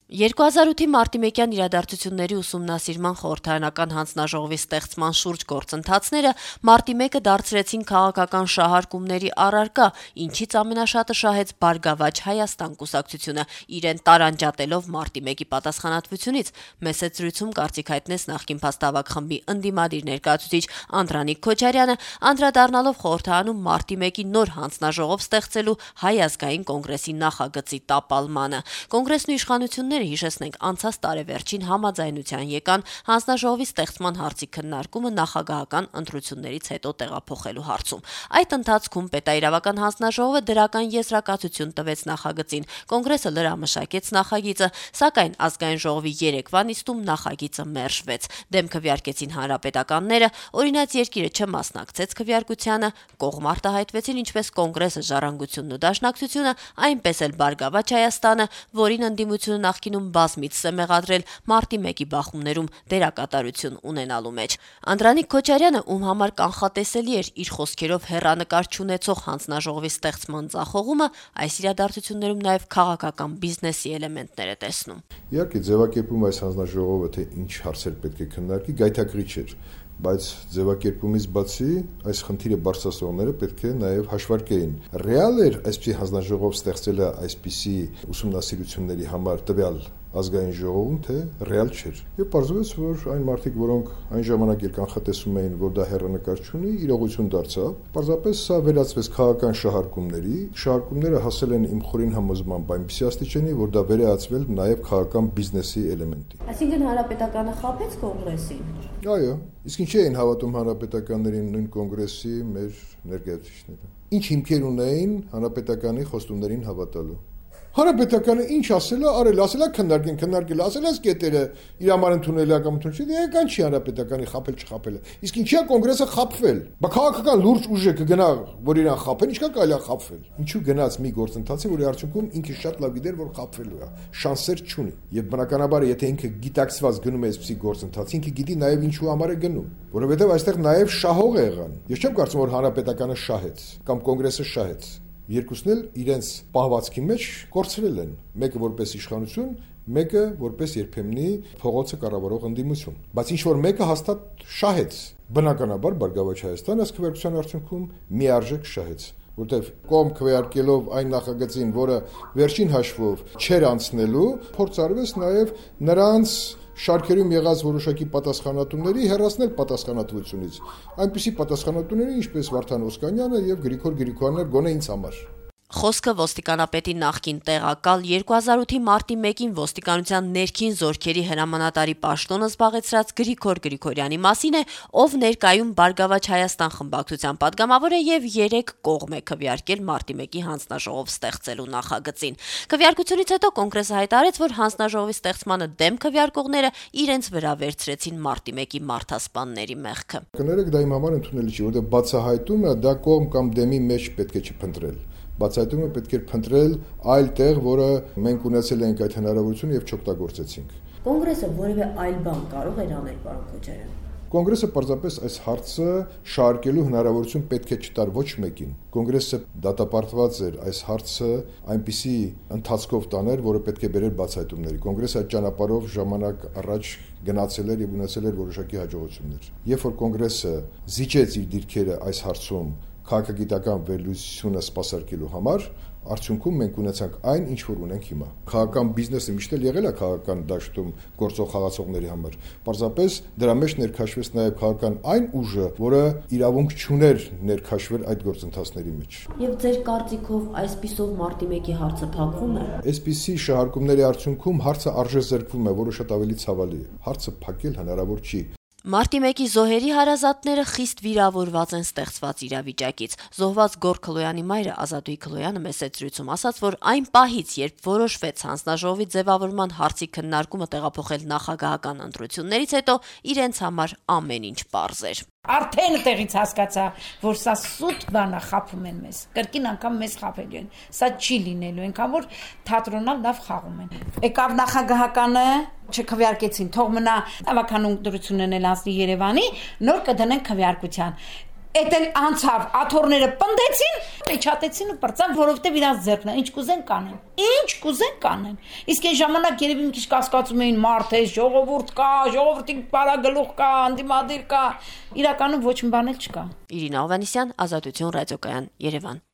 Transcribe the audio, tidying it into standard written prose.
2008-ի մարտիմեկյան իրադարձությունների ուսումնասիրման խորհրդարանական հանձնաժողովի ստեղծման շուրջ գործընթացները մարտի 1-ը դարձրեցին քաղաքական շահարկումների առարկա, ինչից ամենաշատը շահեց Բարգավաճ Հայաստան կուսակցությունը, իրեն տարանջատելով մարտի 1-ի պատասխանատվությունից, մեծ զրույցում կարծիք հայտնեց նախկին փաստավակ խմբի ընդդիմադիր ներկայացուցիչ Անդրանիկ Քոչարյանը, անդրադառնալով խորհրդարանում մարտի 1-ի նոր հանձնաժողով ստեղծելու Հայ ազգային կոնգրեսի նախագծի տապալմանը։ Կոնգրեսն ու իշխանությունները հիշեցնենք անցած տարեվերջին համաձայնության եկան հանձնաժողովի ստեղծման հարցի քննարկումը նախագահական ընտրություններից հետո տեղափոխելու հարցում։ Այդ ընթացքում պետաիրավական հանձնաժողովը դրական եզրակացություն տվեց նախագծին։ Կոնգրեսը լրամշակեց նախագիծը, սակայն ազգային ժողովի երեկվա նիստում նախագիծը մերժվեց։ Դեմ քվեարկեցին հանրապետականները, օրինաց երկիրը չմասնակցեց քվեարկությանը, կողմ արտահայտվեցին ինչպես Կոնգրեսը, Ժառանգությունն ու Դաշնակցությունը, այնպես էլ Բարգավաճ Հայաստանը, որին ընդդիմությունը նախկինում բազմիցս է մեղադրել մարտի 1-ի բախումներում դերակատարություն ունենալու մեջ։ Անդրանիկ Քոչարյանը, ում համար կանխատեսելի էր իր խոսքերով հեռանկար չունեցող հանձնաժողովի ստեղծման ձախողումը, այս իրադարձություններում նաև քաղաքական բիզնեսի էլեմենտներ է տեսնում։ Իհարկե, ձևակերպում այս հանձնաժողովը թե ինչ հարցեր պետք է քննարկի, գայթակղիչ էր, բայց ձևակերպումից բացի այս խնդիրը բարձրացնողները պետք է նաև հաշվարկեին։ Ռեալ էր այսպիսի հանձնաժողով ստեղծելը այսպիսի ուսումնասիրությունների համար տվյալ ազգային ժողովում, թե ռեալ չէր։ Եվ պարզվեց, որ այն մարդիկ, որոնք այն ժամանակ էլ կանխատեսում էին, որ դա հեռանկար չունի, իրողություն դարձավ։ Պարզապես սա վերածվեց քաղաքական շահարկումների։ Շահարկումները հասել են իմ խորին համոզմամբ այնպիսի աստիճանի, որ դա վերածվել նաև քաղաքական բիզնեսի էլեմենտի։ Այսինքն հանրապետականը խաբեց կոնգրեսին։ Այո, իսկ ինչի էին հավատում հանրապետականներին նույն կոնգրեսի մեր ներկայացուցիչները։ Ինչ հիմքեր ունեին հանրապետականի խոստումներին հավատալու։ Հանրապետականը ինչ ասելա, արել, ասելա քննարկել, ասելա կետերը իր համար ընդունելիակամություն չի, դեկան չի հանրապետականի խապել չխապելը։ Իսկ ինչի՞ է կոնգրեսը խապվել։ Բա քաղաքական լուրջ ուժը կգնա, որ իրան խապեն, ինչքան կարելի է խապվել։ Ինչու գնաց մի գործընթացի, որի արդյունքում ինքը շատ լավ գիտեր, որ խապվելու է, շանսեր չունի։ Եվ բնականաբար, եթե ինքը գիտակցված գնում է այսպիսի գործընթաց, ինքը գիտի նաև ինչու համար է գնում, որովհետև այստեղ նաև շահող է եղան։ Ես չեմ կարծում, որ հանրապետականը շահեց կամ կոնգրեսը շահեց։ Երկուսն էլ իրենց պահվածքի մեջ կորցրել են, մեկը որպես իշխանություն, մեկը որպես երբեմնի փողոցը կառավարող ընդդիմություն, բայց ինչ որ մեկը հաստատ շահեց։ Բնականաբար Բարգավաճ Հայաստանը այս քվեարկության արդյունքում միարժեք շահեց, որտեղ կողմ քվեարկելով այն նախագծին, որը վերջին հաշվով չէր անցնելու, փորձ արվեց նաև նրանց շարքերում եղած որոշակի պատասխանատուների հեռացնել պատասխանատվությունից։ Այնպիսի պատասխանատուների, ինչպես Վարդան Օսկանյանը եւ Գրիգոր Գրիգորյանը, գոնե ինձ համար։ Խոսքը ոստիկանապետի նախկին տեղակալ 2008-ի մարտի 1-ին ոստիկանության ներքին զորքերի հրամանատարի պաշտոնը զբաղեցրած Գրիգոր Գրիգորյանի մասին է, ով ներկայում Բարգավաճ Հայաստան խմբակցության падգամավոր է եւ 3 կողմ է քվեարկել մարտի 1-ի հանձնաժողով ստեղծելու նախագծին։ Քվեարկությունից հետո կոնգրեսը հայտարարեց, որ հանձնաժողովի ստեղծմանը դեմ քվեարկողները իրենց վրա վերցրեցին մարտի 1-ի մարդասպանների մեղքը։ Կներեք, դա իմ համար ընդունելի չի, որովհետեւ բացահայտում է դա կողմ կամ դեմի մեջ պետք է չփնտրել։ Բացահայտումը պետք է փնտրել այլ տեղ, որը մենք ունեցել ենք այդ հնարավորությունը եւ չօգտագործեցինք։ Կոնգրեսը որևէ այլ բան կարող էր անել, պարոն Քոչարյան։ Կոնգրեսը պարզապես այս հարցը շարքելու հնարավորություն պետք է չտար ոչ մեկին։ Կոնգրեսը դատապարտված էր այս հարցը այնպիսի ընթացքով տաներ, որը պետք է բերեր բացահայտումների։ Կոնգրեսը այդ ճանապարհով ժամանակ առաջ գնացել էր եւ ունեցել էր որոշակի հաջողություններ։ Երբ որ կոնգրեսը զիջեց իր դիրքերը այս հարցում քաղաքագիտական վերլուծությունը սպասարկելու համար, արդյունքում մենք ունեցանք այն, ինչ որ ունենք հիմա։ Քաղաքական բիզնեսը միշտ էլ եղել է քաղաքական դաշտում գործող խաղացողների համար։ Պարզապես դրա մեջ ներքաշվեց նաև քաղաքական այն ուժը, որը իրավունք չուներ ներքաշվել այդ գործընթացների մեջ։ Եվ ձեր կարծիքով այսպիսով մարտի 1-ի հարցը փակվում է։ Այսպիսի շահարկումների արդյունքում հարցը արժեզրկվում է, որը շատ ավելի ցավալի է։ Հարցը փակել հնարավոր չի։ Մարտի 1-ի զոհերի հարազատները խիստ վիրավորված են ստեղծված իրավիճակից։ Զոհված Գոր Քլոյանի մայրը Ազատուհի Քլոյանը մեծ զրույցում ասաց, որ այն պահից, երբ որոշվեց հանձնաժողովի ձևավորման հարցի քննարկումը տեղափոխել նախագահական ընտրություններից հետո, իրենց համար ամեն ինչ պարզ էր։ Արդեն տեղից հասկացա, որ սա սուտ բան է, խափում են մեզ։ Կրկին անգամ մեզ խափելու են։ Սա չի լինելու, այնքան որ թատրոնալ լավ խաղում են։ Եկավ նախագահականը, չքվեարկեցին, թող մնա ավականուն դրությունն էլ անցնի Երևանի, նոր կդնեն քվեարկության։ Էդ էլ անցավ, աթոռները պնդեցին, իջատեցին ու բրծան, որովհետև իրանց ձեռքն է, ինչ կուզեն կանեն։ Ինչ կուզեն կանեն։ Իսկ այն ժամանակ երևի մի քիչ կասկածում էին մարդ է, ժողովուրդ կա, ժողովրդի բարագլուխ կա, անդիմադիր կա, իրականում ոչ մի բան էլ չկա։ Իրինա Հովհաննիսյան, Ազատություն ռադիոկայան, Երևան։